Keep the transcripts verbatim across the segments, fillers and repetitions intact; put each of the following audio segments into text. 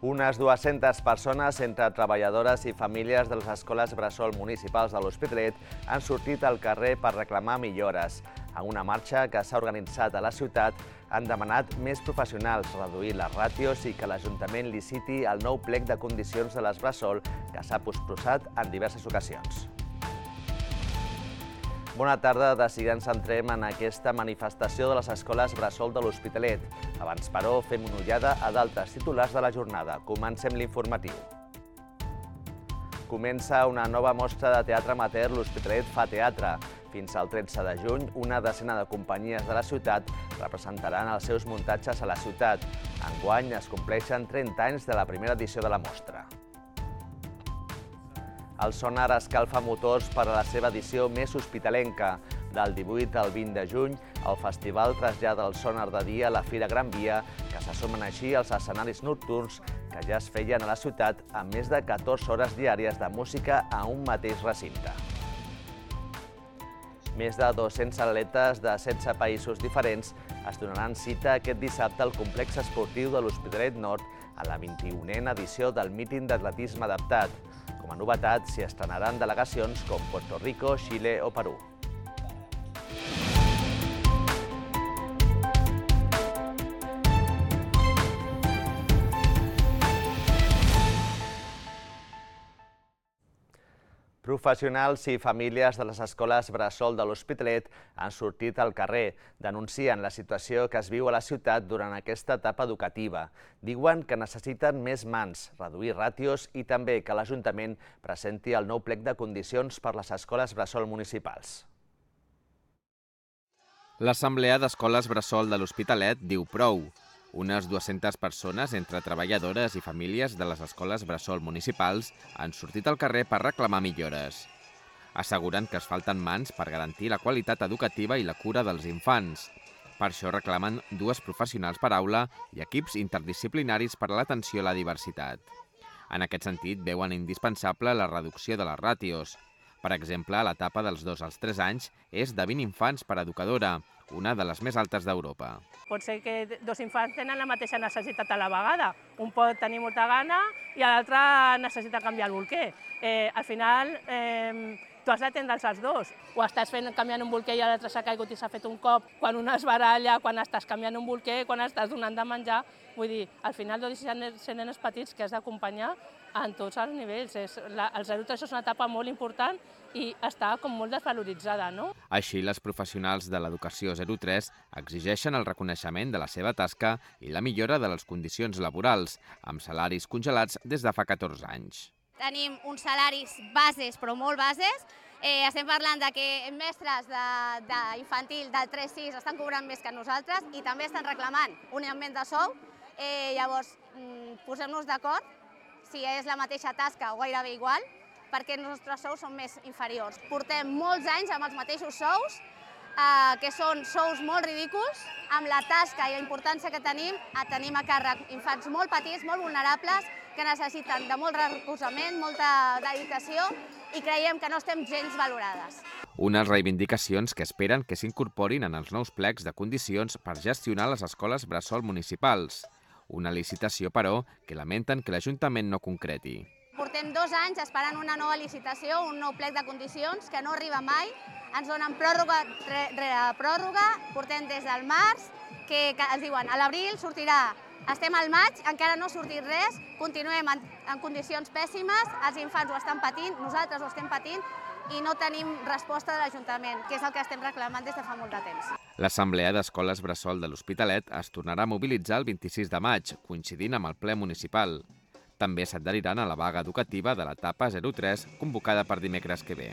Unes dues-centes persones, entre treballadores i famílies de les escoles bressol municipals de l'Hospitalet, han sortit al carrer per reclamar millores. En una marxa que s'ha organitzat a la ciutat, han demanat més professionals, reduir les ràtios i que l'Ajuntament liciti el nou plec de condicions de les bressol que s'ha posposat en diverses ocasions. Bona tarda, de seguida ens centrem en aquesta manifestació de les escoles bressol de l'Hospitalet. Abans, però, fem una ullada a d'altres titulars de la jornada. Comencem l'informatiu. Comença una nova mostra de teatre amateur L'Hospitalet fa teatre. Fins al tretze de juny, una decena de companyies de la ciutat representaran els seus muntatges a la ciutat. Enguany es compleixen trenta anys de la primera edició de la mostra. El Sonar escalfa motors per a la seva edició més hospitalenca. Del divuit al vint de juny, el festival trasllada el Sonar de dia a la Fira Gran Via, que s'assomen així als escenaris nocturns que ja es feien a la ciutat amb més de catorze hores diàries de música a un mateix recinte. Més de dos-cents atletes de setze països diferents es donaran cita aquest dissabte al complex esportiu de l'Hospitalet Nord a la vint-i-unena edició del míting d'atletisme adaptat. Com a novetat, s'hi estrenaran delegacions com Puerto Rico, Xile o Perú. Professionals i famílies de les escoles bressol de l'Hospitalet han sortit al carrer, denuncien la situació que es viu a la ciutat durant aquesta etapa educativa. Diuen que necessiten més mans, reduir ràtios i també que l'Ajuntament presenti el nou plec de condicions per les escoles bressol municipals. L'Assemblea d'Escoles Bressol de l'Hospitalet diu prou. Unes dues-centes persones, entre treballadores i famílies de les escoles bressol municipals, han sortit al carrer per reclamar millores. Asseguren que es falten mans per garantir la qualitat educativa i la cura dels infants. Per això reclamen dues professionals per aula i equips interdisciplinaris per a l'atenció a la diversitat. En aquest sentit, veuen indispensable la reducció de les ràtios. Per exemple, l'etapa dels dos als tres anys és de vint infants per educadora, una de les més altes d'Europa. Pot ser que dos infants tenen la mateixa necessitat a la vegada. Un pot tenir molta gana i l'altre necessita canviar el bolquer. Eh, al final, eh, tu has d'atendre els dos. O estàs fent, canviant un bolquer i l'altre s'ha caigut i s'ha fet un cop. Quan un es baralla, quan estàs canviant un bolquer, quan estàs donant de menjar. Vull dir, al final, dos ser nenes petits que has d'acompanyar en tots els nivells. El zero tres és una etapa molt important i està com molt desvaloritzada, no? Així, les professionals de l'educació zero tres exigeixen el reconeixement de la seva tasca i la millora de les condicions laborals, amb salaris congelats des de fa catorze anys. Tenim uns salaris bases, però molt bases. Eh, estem parlant de que mestres d'infantil del tres sis estan cobrant més que nosaltres i també estan reclamant un augment de sou. Eh, llavors, posem-nos d'acord si és la mateixa tasca o gairebé igual, perquè els nostres sous són més inferiors. Portem molts anys amb els mateixos sous, eh, que són sous molt ridículs, amb la tasca i la importància que tenim, tenim a càrrec infants molt petits, molt vulnerables, que necessiten de molt recolzament, molta dedicació i creiem que no estem gens valorades. Unes reivindicacions que esperen que s'incorporin en els nous plecs de condicions per gestionar les escoles bressol municipals. Una licitació, però, que lamenten que l'Ajuntament no concreti. Portem dos anys esperant una nova licitació, un nou plec de condicions que no arriba mai. Ens donen pròrroga rere pròrroga, portem des del març, que ens diuen a l'abril sortirà. Estem al maig, encara no ha sortit res, continuem en condicions pèssimes, els infants ho estan patint, nosaltres ho estem patint i no tenim resposta de l'Ajuntament, que és el que estem reclamant des de fa molt de temps. L'Assemblea d'Escoles Bressol de l'Hospitalet es tornarà a mobilitzar el vint-i-sis de maig, coincidint amb el ple municipal. També s'adheriran a la vaga educativa de l'etapa zero tres, convocada per dimecres que ve.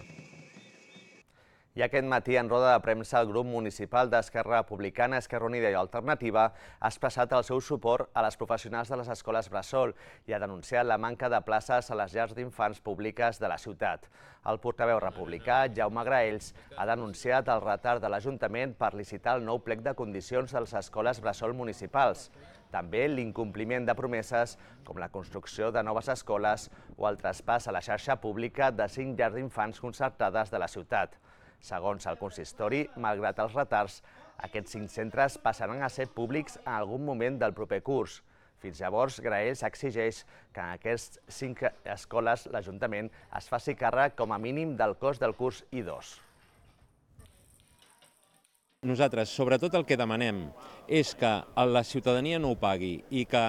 I aquest matí, en roda de premsa, el grup municipal d'Esquerra Republicana, Esquerra Unida i Alternativa ha expressat el seu suport a les professionals de les escoles bressol i ha denunciat la manca de places a les llars d'infants públiques de la ciutat. El portaveu republicà, Jaume Graells, ha denunciat el retard de l'Ajuntament per licitar el nou plec de condicions de les escoles bressol municipals. També l'incompliment de promeses com la construcció de noves escoles o el traspàs a la xarxa pública de cinc llars d'infants concertades de la ciutat. Segons el consistori, malgrat els retards, aquests cinc centres passaran a ser públics en algun moment del proper curs. Fins llavors, Graells exigeix que en aquestes cinc escoles l'Ajuntament es faci càrrec com a mínim del cost del curs I dos. Nosaltres, sobretot, el que demanem és que la ciutadania no ho pagui i que,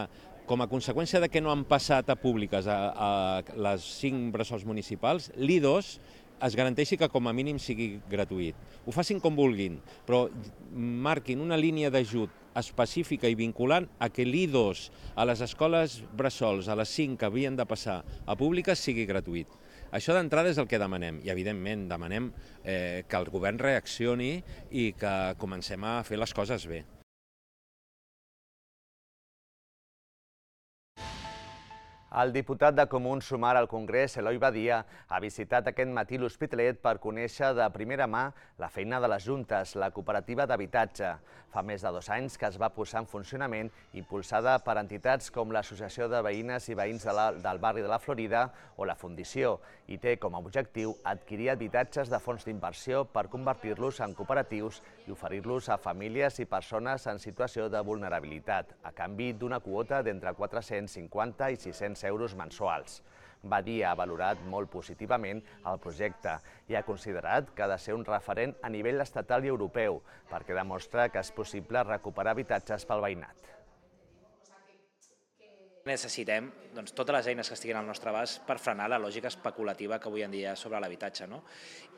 com a conseqüència de que no han passat a públiques a, a les cinc bressols municipals, l'I dos es garanteixi que com a mínim sigui gratuït. Ho facin com vulguin, però marquin una línia d'ajut específica i vinculant a que l'I dos a les escoles bressols, a les cinc que havien de passar a públiques, sigui gratuït. Això d'entrada és el que demanem i, evidentment, demanem eh, que el govern reaccioni i que comencem a fer les coses bé. El diputat de Comuns Sumar al Congrés, Eloi Badia, ha visitat aquest matí l'Hospitalet per conèixer de primera mà la feina de les juntes, la cooperativa d'habitatge. Fa més de dos anys que es va posar en funcionament, impulsada per entitats com l'Associació de Veïnes i Veïns de la, del barri de la Florida o la Fundició, i té com a objectiu adquirir habitatges de fons d'inversió per convertir-los en cooperatius i oferir-los a famílies i persones en situació de vulnerabilitat, a canvi d'una quota d'entre quatre-cents cinquanta i sis-cents euros mensuals. Badia ha valorat molt positivament el projecte i ha considerat que ha de ser un referent a nivell estatal i europeu perquè demostra que és possible recuperar habitatges pel veïnat. Necessitem doncs, totes les eines que estiguin al nostre abast per frenar la lògica especulativa que avui en dia hi ha sobre l'habitatge. No?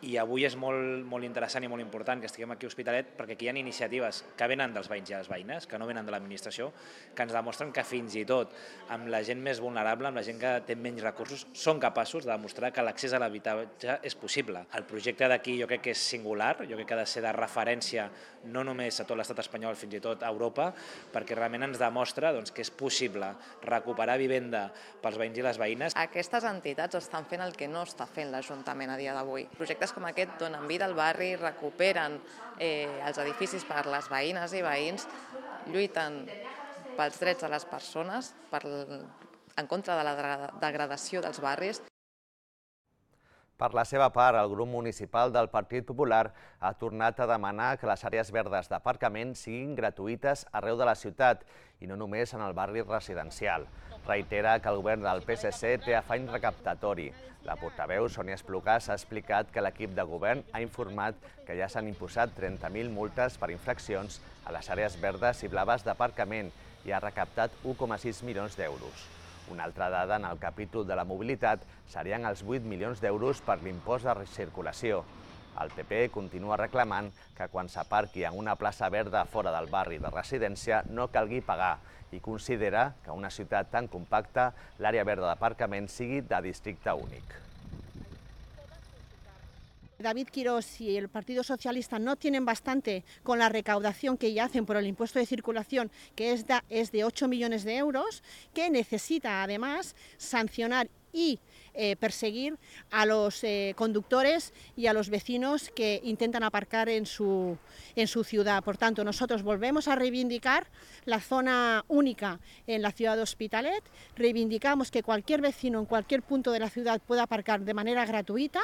I avui és molt, molt interessant i molt important que estiguem aquí a Hospitalet perquè aquí hi ha iniciatives que venen dels veïns i les veïnes, que no venen de l'administració, que ens demostren que fins i tot amb la gent més vulnerable, amb la gent que té menys recursos, són capaços de demostrar que l'accés a l'habitatge és possible. El projecte d'aquí jo crec que és singular, jo crec que ha de ser de referència no només a tot l'estat espanyol, fins i tot a Europa, perquè realment ens demostra doncs, que és possible recuperar vivenda pels veïns i les veïnes. Aquestes entitats estan fent el que no està fent l'Ajuntament a dia d'avui. Projectes com aquest donen vida al barri, recuperen eh, els edificis per les veïnes i veïns, lluiten pels drets de les persones, per, en contra de la degradació dels barris. Per la seva part, el grup municipal del Partit Popular ha tornat a demanar que les àrees verdes d'aparcament siguin gratuïtes arreu de la ciutat i no només en el barri residencial. Reitera que el govern del P S C té afany recaptatori. La portaveu, Sònia Esplugàs, ha explicat que l'equip de govern ha informat que ja s'han imposat trenta mil multes per infraccions a les àrees verdes i blaves d'aparcament i ha recaptat u coma sis milions d'euros. Una altra dada en el capítol de la mobilitat serien els vuit milions d'euros per l'impost de circulació. El P P continua reclamant que quan s'aparqui en una plaça verda fora del barri de residència no calgui pagar i considera que una ciutat tan compacta l'àrea verda d'aparcament sigui de districte únic. David Quirós y el Partido Socialista no tienen bastante con la recaudación que ya hacen por el impuesto de circulación, que es de, es de ocho millones de euros, que necesita además sancionar y eh, perseguir a los eh, conductores y a los vecinos que intentan aparcar en su, en su ciudad. Por tanto, nosotros volvemos a reivindicar la zona única en la ciudad de Hospitalet, reivindicamos que cualquier vecino en cualquier punto de la ciudad pueda aparcar de manera gratuïta.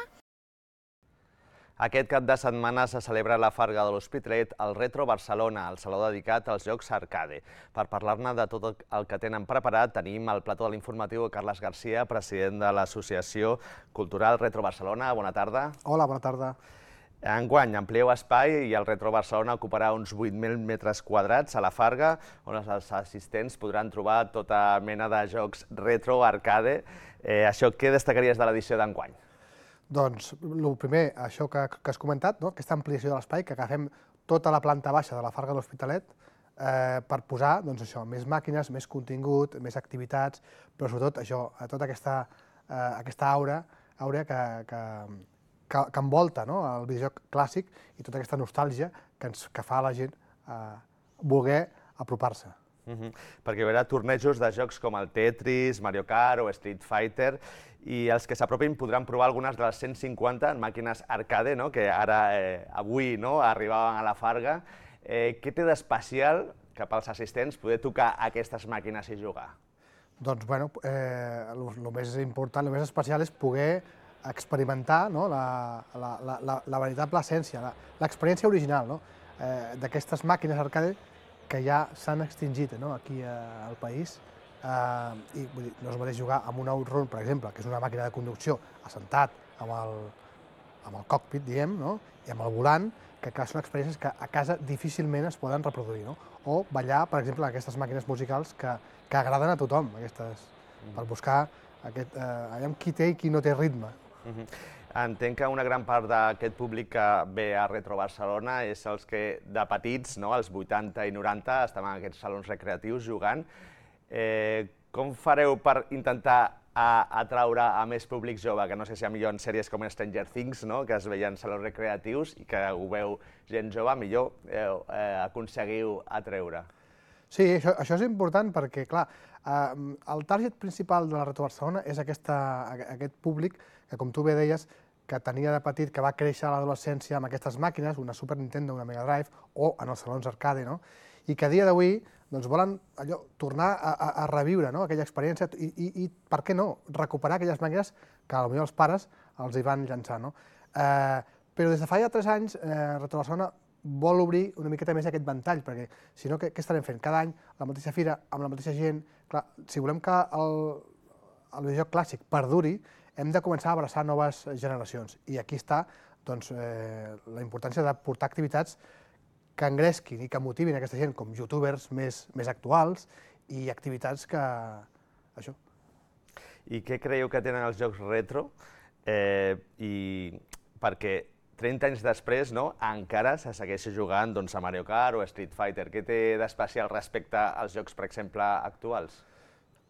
Aquest cap de setmana se celebra la Farga de l'Hospitalet al Retro Barcelona, el saló dedicat als jocs arcade. Per parlar-ne de tot el que tenen preparat, tenim al plató de l'informatiu Carles Garcia, president de l'Associació Cultural Retro Barcelona. Bona tarda. Hola, bona tarda. Enguany amplieu espai i el Retro Barcelona ocuparà uns vuit mil metres quadrats a la Farga, on els assistents podran trobar tota mena de jocs retro arcade. Eh, això què destacaries de l'edició d'enguany? Doncs, el primer, això que, que has comentat, no? Aquesta ampliació de l'espai, que agafem tota la planta baixa de la Farga de l'Hospitalet eh, per posar doncs, això, més màquines, més contingut, més activitats, però sobretot això, tota aquesta, eh, aquesta aura, aura que, que, que, que envolta, no? El videojoc clàssic i tota aquesta nostàlgia que, ens, que fa a la gent eh, voler apropar-se. Uh-huh. Perquè hi haurà tornejos de jocs com el Tetris, Mario Kart o Street Fighter i els que s'apropin podran provar algunes de les cent cinquanta màquines arcade, no? Que ara, eh, avui, no? Arribaven a la Farga. Eh, què té d'especial que pels assistents poder tocar aquestes màquines i jugar? Doncs, bueno, eh, el més important, el més especial és poder experimentar, no? la, la, la, la, la veritable essència, l'experiència original, no? eh, d'aquestes màquines arcade que ja s'han extingit, no? Aquí al país, I vull dir, no és el mateix jugar amb un Outrun, per exemple, que és una màquina de conducció assentat amb el cockpit, diguem, i amb el volant, que són experiències que a casa difícilment es poden reproduir. O ballar, per exemple, aquestes màquines musicals que agraden a tothom, per buscar qui té i qui no té ritme. Entenc que una gran part d'aquest públic que ve a Retro Barcelona és els que de petits, als vuitanta i noranta, estem en aquests salons recreatius jugant. Com fareu per intentar atraure a més públic jove, que no sé si millor en sèries com Stranger Things, que es veien salons recreatius i que ho veu gent jove, millor aconseguiu atreure? Sí, això és important perquè, clar, el target principal de la Retro Barcelona és aquest públic que, com tu bé deies, que tenia de petit, que va créixer a l'adolescència amb aquestes màquines, una Super Nintendo, una Mega Drive, o en els salons arcade, i que a dia d'avui volen tornar a reviure aquella experiència i, per què no, recuperar aquelles màquines que potser els pares els hi van llançar. Però des de fa ja tres anys, Retro Barcelona vol obrir una miqueta més aquest ventall, perquè si no, què estarem fent? Cada any la mateixa fira, amb la mateixa gent. Clar, si volem que el videojoc clàssic perduri, hem de començar a abraçar noves generacions. I aquí està la importància de portar activitats que engresquin i que motivin aquesta gent, com youtubers més actuals i activitats que... això. I què creieu que tenen els jocs retro? Perquè trenta anys després encara se segueix jugant a Mario Kart o Street Fighter. Què té d'especial respecte als jocs, per exemple, actuals?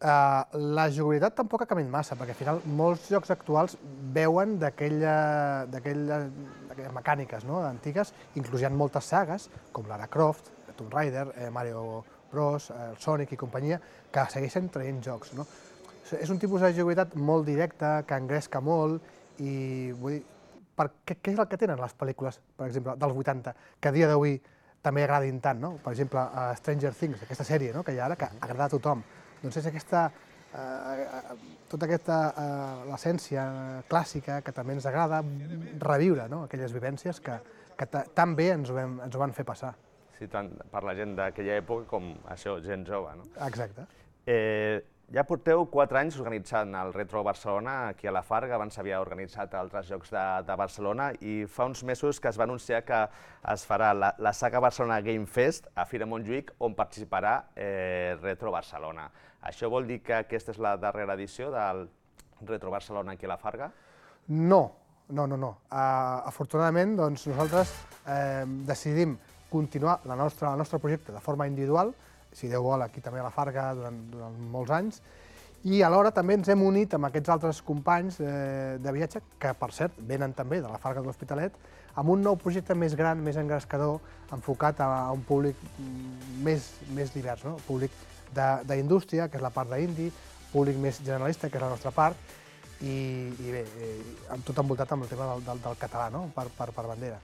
La jugabilitat tampoc ha canviat massa, perquè al final molts jocs actuals veuen d'aquelles mecàniques antigues, inclús hi ha moltes sagues, com Lara Croft, Tomb Raider, Mario Bros, Sonic i companyia, que segueixen traient jocs. És un tipus de jugabilitat molt directa, que engresca molt, i vull dir, què és el que tenen les pel·lícules, per exemple, dels vuitanta, que a dia d'avui també agradin tant, per exemple, Stranger Things, aquesta sèrie que hi ha ara, que agrada a tothom. Doncs és aquesta, tota aquesta l'essència clàssica que també ens agrada reviure aquelles vivències que tan bé ens ho van fer passar. Sí, tant per la gent d'aquella època com això, gent jove. Exacte. Ja porteu quatre anys organitzant el Retro Barcelona aquí a la Farga, abans s'havia organitzat altres jocs de Barcelona i fa uns mesos que es va anunciar que es farà la Saga Barcelona Game Fest a Fira Montjuïc on participarà Retro Barcelona. Això vol dir que aquesta és la darrera edició del Retro Barcelona aquí a la Farga? No, no, no. Afortunadament nosaltres decidim continuar el nostre projecte de forma individual, si Déu vol, aquí també a la Farga durant molts anys, i alhora també ens hem unit amb aquests altres companys de viatge, que per cert venen també de la Farga de l'Hospitalet, amb un nou projecte més gran, més engrescador, enfocat a un públic més divers, públic d'indústria, que és la part d'indi, públic més generalista, que és la nostra part, i bé, tot envoltat amb el tema del català, per bandera.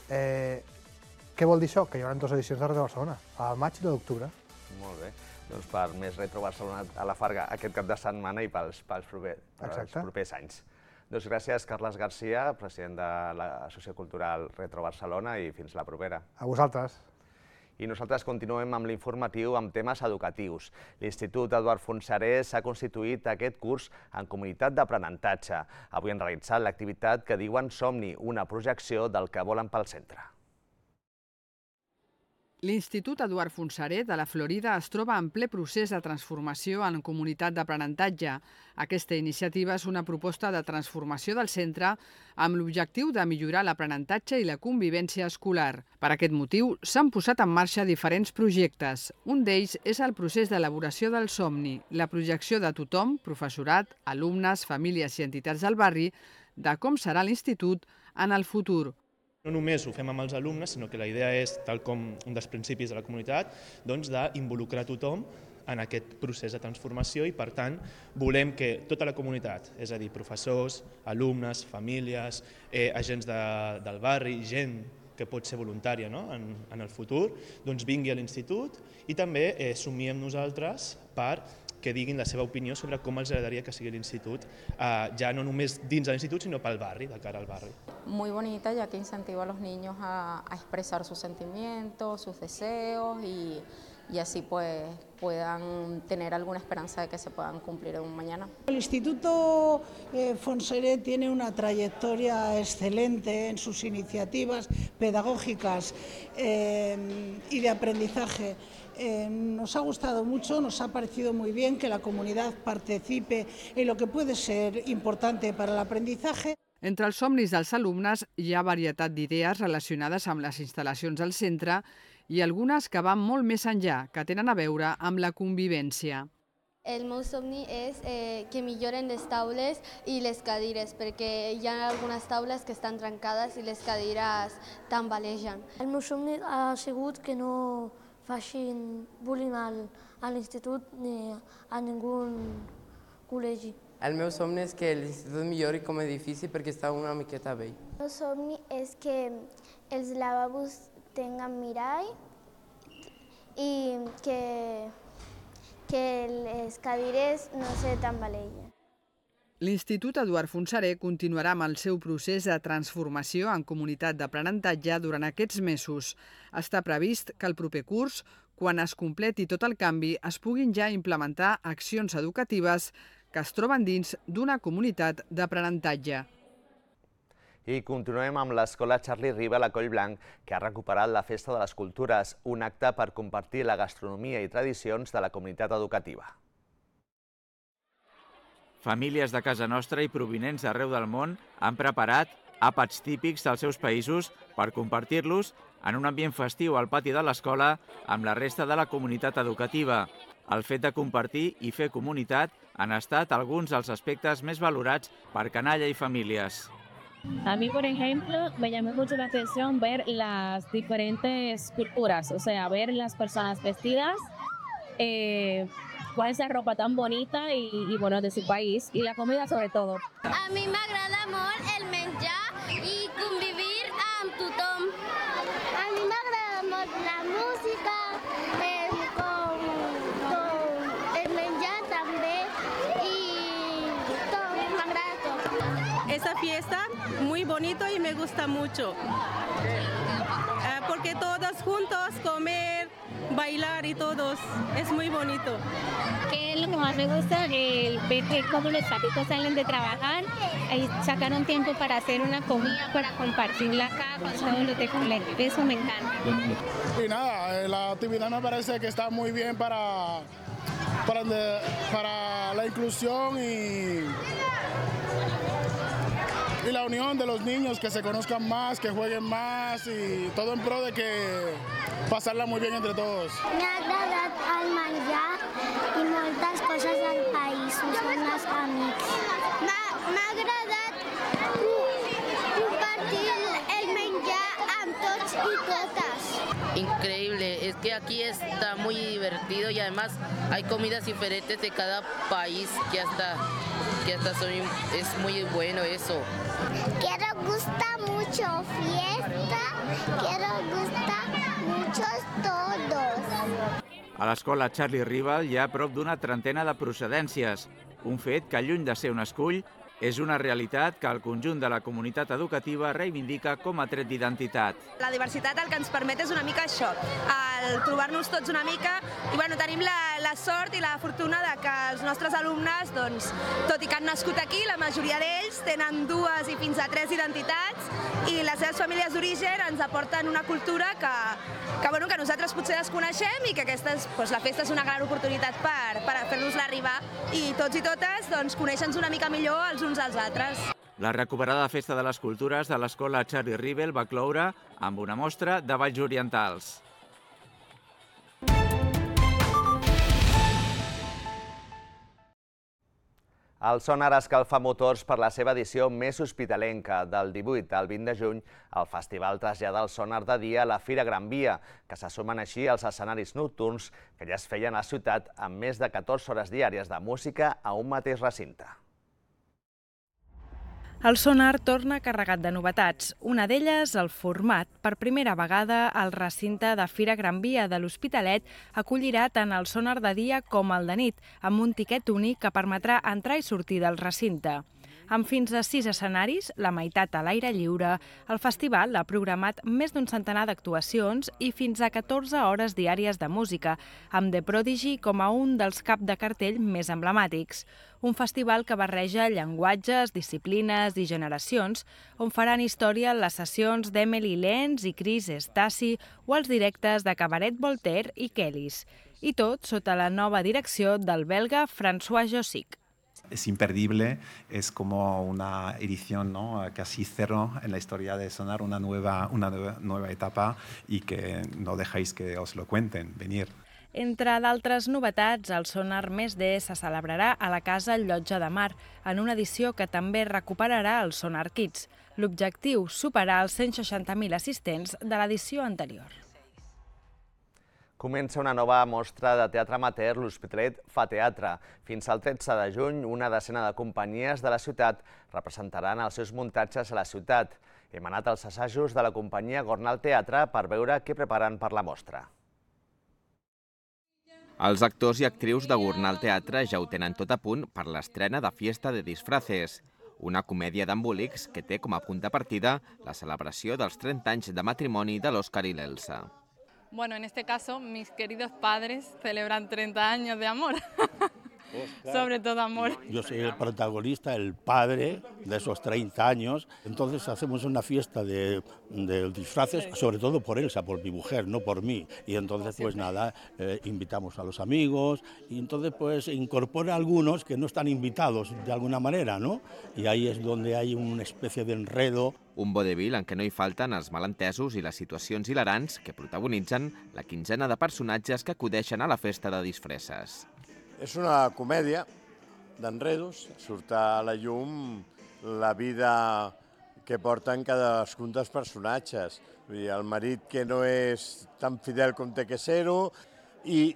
Què vol dir això? Que hi haurà dues edicions de Retro Barcelona, al maig i l'octubre. Molt bé. Doncs per més Retro Barcelona a la Farga aquest cap de setmana i pels propers anys. Doncs gràcies, Carles Garcia, president de l'Associació Cultural Retro Barcelona, i fins la propera. A vosaltres. I nosaltres continuem amb l'informatiu amb temes educatius. L'Institut Eduard Fontserè s'ha constituït aquest curs en comunitat d'aprenentatge. Avui han realitzat l'activitat que diuen Somni, una projecció del que volen pel centre. L'Institut Eduard Fontserè de la Florida es troba en ple procés de transformació en comunitat d'aprenentatge. Aquesta iniciativa és una proposta de transformació del centre amb l'objectiu de millorar l'aprenentatge i la convivència escolar. Per aquest motiu, s'han posat en marxa diferents projectes. Un d'ells és el procés d'elaboració del somni, la projecció de tothom, professorat, alumnes, famílies i entitats del barri, de com serà l'institut en el futur. No només ho fem amb els alumnes, sinó que la idea és, tal com un dels principis de la comunitat, d'involucrar tothom en aquest procés de transformació i, per tant, volem que tota la comunitat, és a dir, professors, alumnes, famílies, agents del barri, gent que pot ser voluntària en el futur, vingui a l'institut i també somiem nosaltres per que diguin la seva opinió sobre com els agradaria que sigui l'institut, ya no només dins de l'institut, sino para el barri, de cara al barri. Muy bonita, ya que incentiva a los niños a, a expresar sus sentimientos, sus deseos y, y así pues puedan tener alguna esperanza de que se puedan cumplir en un mañana. El Instituto eh, Fonseré tiene una trayectoria excelente en sus iniciativas pedagógicas eh, y de aprendizaje. Eh, nos ha gustado mucho, nos ha parecido muy bien que la comunidad participe en lo que puede ser importante para el aprendizaje. Entre els somnis dels alumnes hi ha varietat d'idees relacionades amb les instal·lacions del centre i algunes que van molt més enllà, que tenen a veure amb la convivència. El meu somni és eh, que milloren les taules i les cadires, perquè hi ha algunes taules que estan trencades i les cadires tambalegen. El meu somni ha sigut que no facin bullying al, a l'institut ni a ningú col·legi. El meu somni és que l'institut millori com a edifici perquè està una miqueta vell. El meu somni és que els lavabos tinguin mirall i que, que les cadires no se tambalegen. L'Institut Eduard Fonseré continuarà amb el seu procés de transformació en comunitat d'aprenentatge durant aquests mesos. Està previst que el proper curs, quan es completi tot el canvi, es puguin ja implementar accions educatives que es troben dins d'una comunitat d'aprenentatge. I continuem amb l'Escola Charlie Rivel a Collblanc, que ha recuperat la Festa de les Cultures, un acte per compartir la gastronomia i tradicions de la comunitat educativa. Famílies de casa nostra i provinents d'arreu del món han preparat àpats típics dels seus països per compartir-los en un ambient festiu al pati de l'escola amb la resta de la comunitat educativa. El fet de compartir i fer comunitat han estat alguns dels aspectes més valorats per canalla i famílies. A mí, por ejemplo, me llamó mucho la atención ver las diferentes culturas, o sea, ver las personas vestidas, eh, cuál es la ropa tan bonita y, y bueno, de su país, y la comida sobre todo. A mi m'agrada molt el menjar i convivir amb tothom. A mi m'agrada molt la música, eh, con, con el menjar també y todo, m'agrada todo. Esa fiesta muy bonito y me gusta mucho, eh, porque todos juntos comer, bailar y todos, es muy bonito. ¿Qué es lo que más me gusta? El ver que cuando los papitos salen de trabajar, ahí sacaron tiempo para hacer una comida, para compartirla acá con todos los de colegio. Eso me encanta. Y nada, la actividad me parece que está muy bien para, para, para la inclusión y, y la unión de los niños, que se conozcan más, que jueguen más y todo en pro de que pasarla muy bien entre todos. M'ha agradat el menjar i moltes coses del país, són els amics. M'ha agradat compartir el menjar amb tots y todas. Increíble, es que aquí está muy divertido y además hay comidas diferentes de cada país que hasta, que hasta son, es muy bueno eso. Quiero gusta mucho fiesta, quiero gusta muchos todos. A l'escola Charlie Rivel hi ha prop d'una trentena de procedències, un fet que, lluny de ser un escull, és una realitat que el conjunt de la comunitat educativa reivindica com a tret d'identitat. La diversitat el que ens permet és una mica això, el trobar-nos tots una mica, i bueno, tenim la, la sort i la fortuna de que els nostres alumnes, doncs, tot i que han nascut aquí, la majoria d'ells tenen dues i fins a tres identitats, i les seves famílies d'origen ens aporten una cultura que, que, bueno, que nosaltres potser desconeixem i que aquesta és, doncs, la festa és una gran oportunitat per, per fer-nos-la arribar, i tots i totes doncs, conèixer-nos una mica millor els uns als altres. La recuperada Festa de les Cultures de l'escola Charlie Rivel va cloure amb una mostra de balls orientals. El Sonar escalfa motors per la seva edició més hospitalenca. Del divuit al vint de juny, el festival trasllada el sonar de dia a la Fira Gran Via, que se sumen així als escenaris nocturns que ja es feien a la ciutat amb més de catorze hores diàries de música a un mateix recinte. El Sonar torna carregat de novetats. Una d'elles, el format. Per primera vegada, el recinte de Fira Gran Via de l'Hospitalet acollirà tant el Sonar de dia com el de nit, amb un tiquet únic que permetrà entrar i sortir del recinte. Amb fins a sis escenaris, la meitat a l'aire lliure, el festival ha programat més d'un centenar d'actuacions i fins a catorze hores diàries de música, amb The Prodigy com a un dels cap de cartell més emblemàtics. Un festival que barreja llenguatges, disciplines i generacions, on faran història les sessions d'Emily Lenz i Chris Stasi o els directes de Cabaret Voltaire i Kellys. I tot sota la nova direcció del belga François Jossic. Es imperdible, es como una edición, ¿no?, casi cero en la historia de Sonar, una nueva, una nueva, nueva etapa y que no dejáis que os lo cuenten, venir. Entre d'altres novetats, el Sonar Més D se celebrarà a la Casa Llotja de Mar, en una edició que també recuperarà el Sonar Kids. L'objectiu, superar els cent seixanta mil assistents de l'edició anterior. Comença una nova mostra de teatre amateur, l'Hospitalet fa teatre. Fins al tretze de juny, una decena de companyies de la ciutat representaran els seus muntatges a la ciutat. Hem anat als assajos de la companyia Gornal Teatre per veure què preparen per la mostra. Els actors i actrius de Gornal Teatre ja ho tenen tot a punt per l'estrena de Fiesta de Disfraces, una comèdia d'embolics que té com a punt de partida la celebració dels trenta anys de matrimoni de l'Òscar i l'Elsa. Bueno, en este caso, mis queridos padres celebran treinta años de amor. Oscar, sobre todo amor. Yo soy el protagonista, el padre de esos treinta años. Entonces hacemos una fiesta de, de disfraces, sobre todo por Elsa, por mi mujer, no por mí. Y entonces, pues nada, eh, invitamos a los amigos y entonces pues incorpora a algunos que no están invitados de alguna manera, ¿no? Y ahí es donde hay una especie de enredo. Un vodevil en què no hi falten els malentesos i les situacions hilarants que protagonitzen la quinzena de personatges que acudeixen a la festa de disfresses. És una comèdia d'enredos, surt a la llum la vida que porten cadascun dels personatges. Vull dir, el marit que no és tan fidel com té que ser-ho i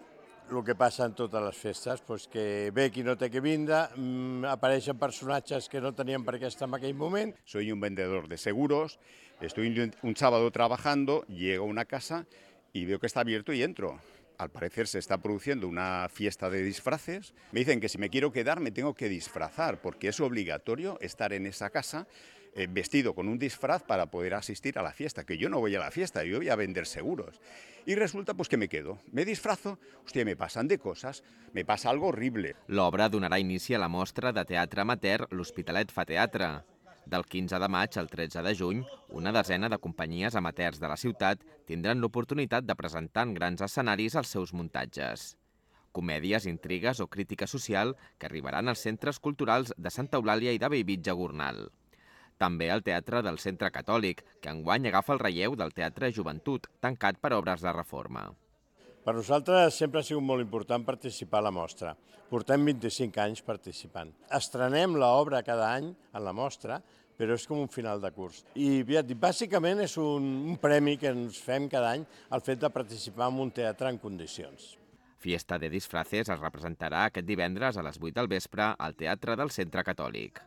el que passa en totes les festes, pues que ve qui no té que vindre, mmm, apareixen personatges que no tenien per què estar en aquell moment. Soy un vendedor de seguros, estoy un sábado trabajando, llego a una casa y veo que está abierto y entro. Al parecer se está produciendo una fiesta de disfraces. Me dicen que si me quiero quedar me tengo que disfrazar porque es obligatorio estar en esa casa eh, vestido con un disfraz para poder asistir a la fiesta, que yo no voy a la fiesta, yo voy a vender seguros. Y resulta pues que me quedo, me disfrazo, hòstia, me pasan de cosas, me pasa algo horrible. L'obra donarà inici a la mostra de teatre amateur L'Hospitalet fa teatre. Del quinze de maig al tretze de juny, una desena de companyies amateurs de la ciutat tindran l'oportunitat de presentar en grans escenaris els seus muntatges. Comèdies, intrigues o crítica social que arribaran als centres culturals de Santa Eulàlia i de Bellvitge Gornal. També el Teatre del Centre Catòlic, que enguany agafa el relleu del Teatre Joventut, tancat per obres de reforma. Per nosaltres sempre ha sigut molt important participar a la mostra. Portem vint-i-cinc anys participant. Estrenem l'obra cada any en la mostra, però és com un final de curs. I bàsicament és un, un premi que ens fem cada any el fet de participar en un teatre en condicions. Fiesta de Disfraces es representarà aquest divendres a les vuit del vespre al Teatre del Centre Catòlic.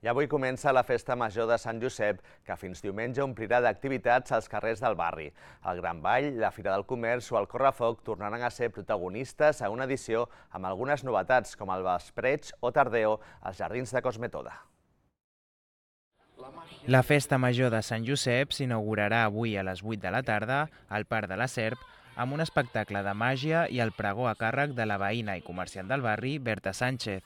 I avui comença la Festa Major de Sant Josep, que fins diumenge omplirà d'activitats als carrers del barri. El Gran Ball, la Fira del Comerç o el Correfoc tornaran a ser protagonistes a una edició amb algunes novetats, com el Vespreig o Tardeo als Jardins de Cosmetoda. La Festa Major de Sant Josep s'inaugurarà avui a les vuit de la tarda al Parc de la Serp amb un espectacle de màgia i el pregó a càrrec de la veïna i comerciant del barri, Berta Sánchez.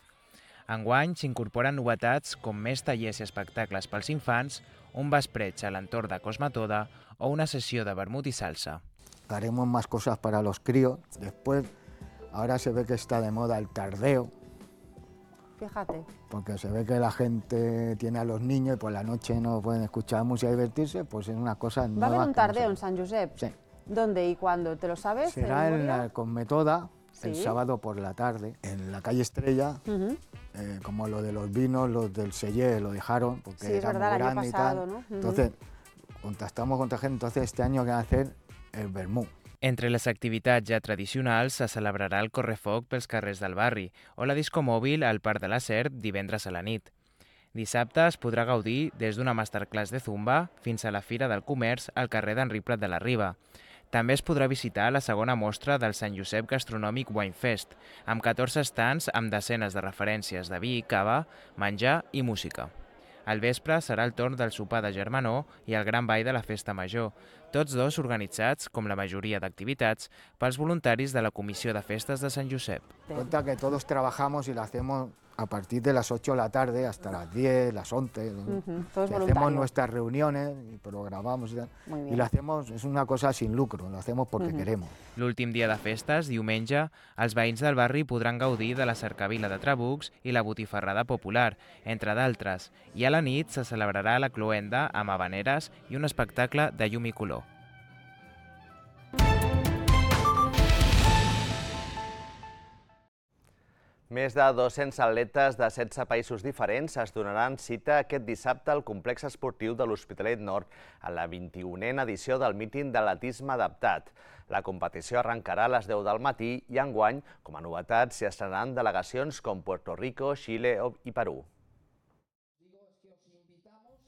Enguany s'incorporen novetats com més tallers i espectacles pels infants, un vespreig a l'entorn de Cosmetoda o una sesión de vermut y salsa. Haremos más cosas para los críos. Después, ahora se ve que está de moda el tardeo. Fíjate. Porque se ve que la gente tiene a los niños y por la noche no pueden escuchar música y divertirse, pues es una cosa nueva. ¿Va a haber un tardeo en San Josep? Sí. ¿Dónde y cuándo? ¿Te lo sabes? Será en la Cosmetoda, ¿Sí? el sábado por la tarde, en la calle Estrella. Uh-huh. Eh, como lo de los vinos, los del Sellé lo dejaron porque sí, era verdad, muy grande y tal. ¿No? Uh-huh. Entonces, contactamos con gente, entonces este año van a hacer el vermut. Entre les activitats ja tradicionals se celebrarà el correfoc pels carrers del barri o la disco mòbil al Parc de la Serp divendres a la nit. Dissabte es podrà gaudir des d'una masterclass de zumba fins a la Fira del Comerç al carrer d'Enric Prat de la Riba. També es podrà visitar la segona mostra del Sant Josep Gastronòmic Winefest, amb catorze stands amb desenes de referències de vi, cava, menjar i música. Al vespre serà el torn del sopar de germanor i el gran ball de la Festa Major, tots dos organitzats, com la majoria d'activitats, pels voluntaris de la Comissió de Festes de Sant Josep. Cuenta que todos trabajamos y lo hacemos a partir de las ocho de la tarde hasta las diez, las once. Uh-huh. Todo es Hacemos voluntario. nuestras reuniones y programamos y tal. Muy Y bien. lo hacemos, es una cosa sin lucro, lo hacemos porque Uh-huh. queremos. L'últim dia de festes, diumenge, els veïns del barri podran gaudir de la cercavila de trabucs i la botifarrada popular, entre d'altres, i a la nit se celebrarà la cloenda amb havaneres i un espectacle de llum i color. Més de dos-cents atletes de setze països diferents es donaran cita aquest dissabte al complex esportiu de l'Hospitalet Nord a la vint-i-unena edició del míting d'atletisme adaptat. La competició arrencarà a les deu del matí i enguany, com a novetat, s'hi estrenaran delegacions com Puerto Rico, Xile i Perú.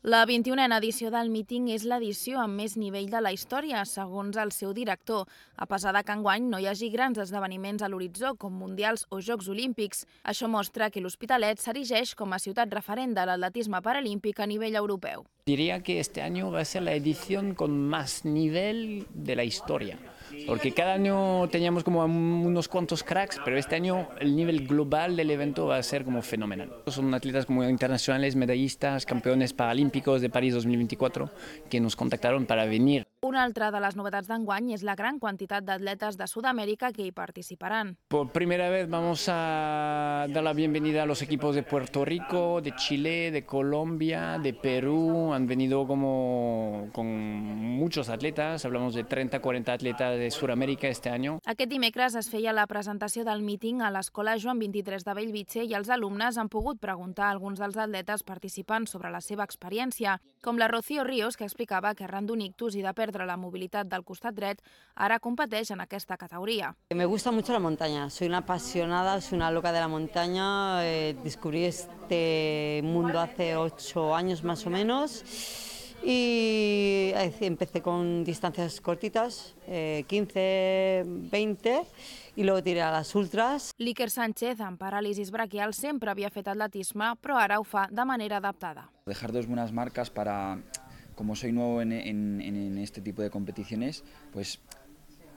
La vint-i-unena edició del míting és l'edició amb més nivell de la història, segons el seu director, a pesar de que enguany no hi hagi grans esdeveniments a l'horitzó com Mundials o Jocs Olímpics. Això mostra que l'Hospitalet s'erigeix com a ciutat referent de l'atletisme paralímpic a nivell europeu. Diría que este año va a ser la edición con más nivel de la historia, porque cada año teníamos como unos cuantos cracks, pero este año el nivel global del evento va a ser como fenomenal. Son atletas como internacionales, medallistas, campeones paralímpicos de París dos mil veinticuatro, que nos contactaron para venir. Una altra de les novetats d'enguany és la gran quantitat d'atletes de Sud-amèrica que hi participaran. Por primera vez vamos a dar la bienvenida a los equipos de Puerto Rico, de Chile, de Colombia, de Perú. Han venido como con muchos atletas, hablamos de treinta a cuarenta atletas de Sudamérica este año. Aquest dimecres es feia la presentació del míting a l'Escola Joan vint-i-tres de Bellvitge i els alumnes han pogut preguntar a alguns dels atletes participants sobre la seva experiència, com la Rocío Ríos, que explicava que arran d'un ictus i de perdre la mobilitat del costat dret, ara competeix en aquesta categoria. Me gusta mucho la montaña, soy una apasionada, soy una loca de la montaña, eh, descubrí este mundo hace ocho años más o menos y empecé con distancias cortitas, eh, quince, veinte, i luego tiré a les ultras. L'Iker Sánchez, amb paràlisis braquial, sempre havia fet atletisme, però ara ho fa de manera adaptada. Dejar dos buenas marcas para, como soy nuevo en, en, en este tipo de competiciones, pues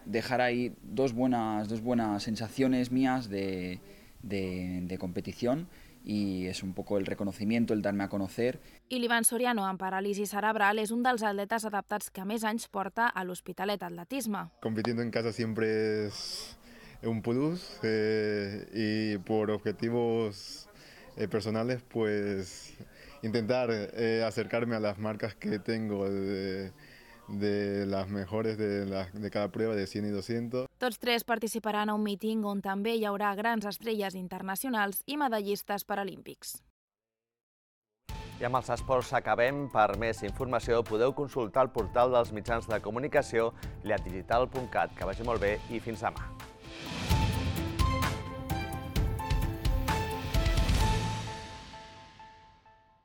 dejar ahí dos buenas, dos buenas sensaciones mías de, de, de competición, y es un poco el reconocimiento, el darme a conocer. I l'Ivan Soriano, amb paràlisi cerebral, és un dels atletes adaptats que més anys porta a l'Hospitalet Atletisme. Compitiendo en casa siempre es un plus eh, y por objetivos eh, personales, pues intentar eh, acercarme a las marcas que tengo de, de las mejores de, la, de cada prueba, de cien y doscientos. Tots tres participaran a un míting on també hi haurà grans estrelles internacionals i medallistes paralímpics. I amb els esports acabem. Per més informació podeu consultar el portal dels mitjans de comunicació lleat digital punt cat. Que vagi molt bé i fins demà.